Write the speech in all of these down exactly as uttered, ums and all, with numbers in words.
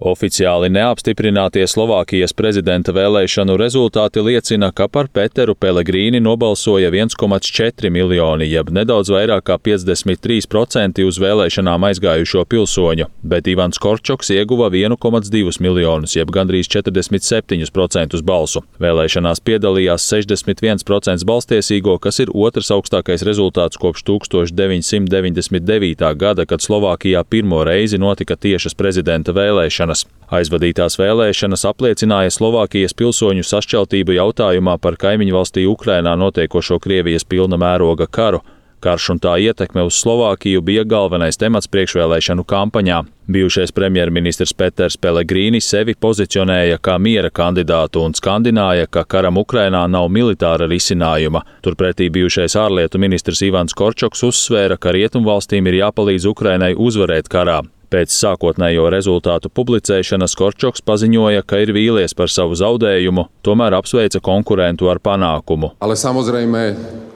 Oficiāli neapstiprinātie Slovākijas prezidenta vēlēšanu rezultāti liecina, ka par Peteru Pelegrini nobalsoja viens komats četri miljoni, jeb nedaudz vairāk kā piecdesmit trīs procenti uz vēlēšanām aizgājušo pilsoņu, bet Ivans Korčoks ieguva viens komats divus miljonus, jeb gandrīz četrdesmit septiņus procentus balsu. Vēlēšanās piedalījās sešdesmit viens procents balstiesīgo, kas ir otrs augstākais rezultāts kopš tūkstoš deviņsimt deviņdesmit devītā gada, kad Slovākijā pirmo reizi notika tiešas prezidenta vēlēšanas. Aizvadītās vēlēšanas apliecināja Slovākijas pilsoņu sašķeltību jautājumā par kaimiņu valstī Ukrainā notiekošo Krievijas pilna mēroga karu. Karš un tā ietekme uz Slovākiju bija galvenais temats priekšvēlēšanu kampaņā. Bijušais premjerministrs Peters Pelegrini sevi pozicionēja kā miera kandidātu un skandināja, ka karam Ukrainā nav militāra risinājuma. Turpretī bijušais ārlietu ministrs Ivans Korčoks uzsvēra, ka rietumvalstīm ir jāpalīdz Ukrainai uzvarēt karā. Pēc sākotnējo rezultātu publicēšanas Korčoks paziņoja, ka ir vīlies par savu zaudējumu, tomēr apsveica konkurentu ar panākumu. Ale samozrejme,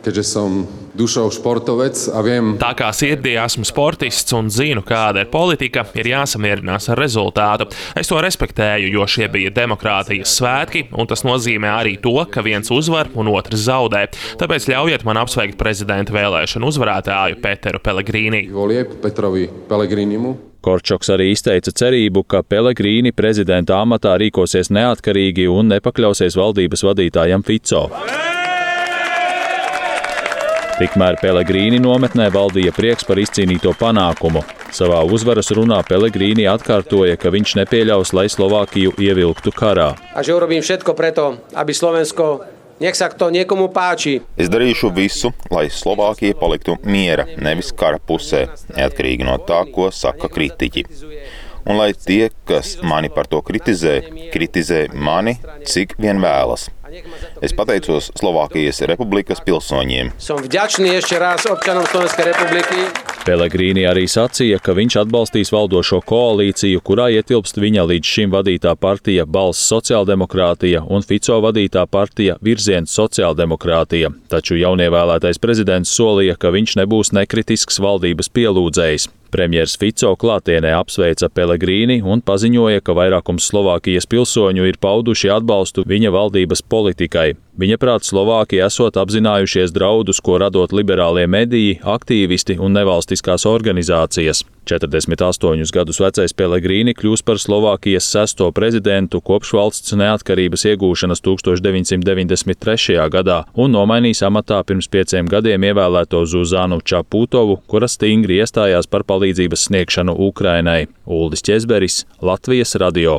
keďže som dušou športovec a viem... Tā kā sirdī esmu sportists un zinu, kāda ir politika, ir jāsamierinās ar rezultātu. Es to respektēju, jo šie bija demokrātijas svētki, un tas nozīmē arī to, ka viens uzvar un otrs zaudē. Tāpēc ļaujiet man apsveikt prezidenta vēlēšanu uzvarētāju Peteru Pelegrini. Volieb Petrovi Pelegrinimu. Korčoks arī izteica cerību, ka Pelegrini prezidenta amatā rīkosies neatkarīgi un nepakļausies valdības vadītājam Fico. Tikmēr Pelegrini nometnē valdīja prieks par izcīnīto panākumu. Savā uzvaras runā Pelegrini atkārtoja, ka viņš nepieļaus, lai Slovākiju ievilktu karā. A že urobím všetko preto, aby Slovensko Nech sa to niekomu páči. Es darīšu visu, lai Slovākija paliktu miera, nevis kara pusē, neatkarīgi no tā, ko saka kritiķi. Un lai tie, kas mani par to kritizē, kritizē mani, cik vien vēlas. Es pateicos Slovākijas republikas pilsoņiem. Som vďačný ešte raz občanom Slovenskej republiky. Pelegrini arī sacīja, ka viņš atbalstīs valdošo koalīciju, kurā ietilpst viņa līdz šim vadītā partija Balss sociāldemokrātija un Fico vadītā partija Virziens sociāldemokrātija. Taču jaunievēlētais prezidents solīja, ka viņš nebūs nekritisks valdības pielūdzējs. Premjers Fico klātienē apsveica Pelegrini un paziņoja, ka vairākums Slovākijas pilsoņu ir pauduši atbalstu viņa valdības politikai. Viņaprāt, Slovāki esot apzinājušies draudus, ko radot liberālie mediji, aktīvisti un nevalstiskās organizācijas. četrdesmit astoņus gadus vecais Pelegrini kļūs par Slovākijas sesto prezidentu kopš valsts neatkarības iegūšanas tūkstoš deviņsimt deviņdesmit trešajā gadā un nomainīs amatā pirms pieciem gadiem ievēlēto Zuzanu Čaputovu, kura stingri iestājās par palīdzības sniegšanu Ukrainai. Uldis Ķezberis, Latvijas radio.